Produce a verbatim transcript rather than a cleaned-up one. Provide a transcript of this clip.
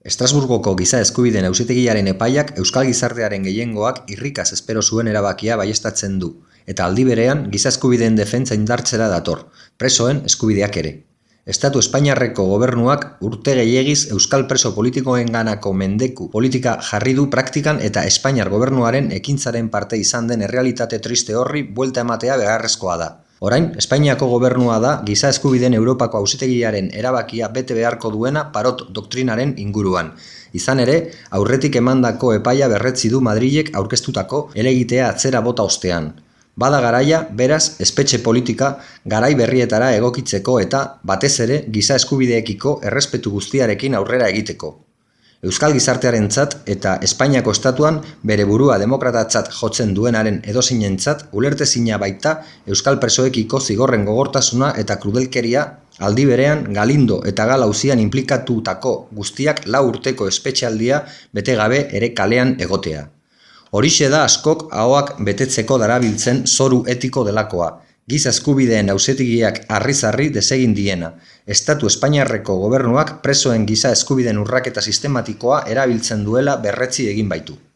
Estrasburgoko Giza Eskubideen Auzitegiaren epaiak euskal gizartearen gehiengoak irrikaz espero zuen erabakia baieztatzen du, eta aldi berean giza eskubideen defentsa indartzera dator, presoen eskubideak ere. Estatu Espainiarreko gobernuak urte gehiegiz euskal preso politikoenganako mendeku politika jarri du praktikan eta Espainiar gobernuaren ekintzaren parte izan den errealitate triste horri buelta ematea beharrezkoa da. Orain, Espainiako gobernua da Giza Eskubideen Europako Auzitegiaren erabakia bete beharko duena Parot doktrinaren inguruan. Izan ere, aurretik emandako epaia berretsi du Madrilek aurkeztutako helegitea atzera bota ostean. Bada garaia, beraz, espetxe politika garai berrietara egokitzeko eta, batez ere, giza eskubideekiko errespetu guztiarekin aurrera egiteko. Euskal gizartearentzat eta Espainiako estatuan bere burua demokratatzat jotzen duenaren edozeinentzat ulertezina baita euskal presoekiko zigorren gogortasuna eta krudelkeria, aldi berean Galindo eta Gal auzian inplikatutako guztiak lau urteko espetxealdia bete gabe ere kalean egotea. Horixe da askok ahoak betetzeko darabiltzen zoru etiko delakoa. Giza Eskubideen Auzitegiak harriz-harri desegin diena. Estatu Espainiarreko gobernuak presoen giza eskubideen urraketa sistematikoa erabiltzen duela berretsi egin baitu.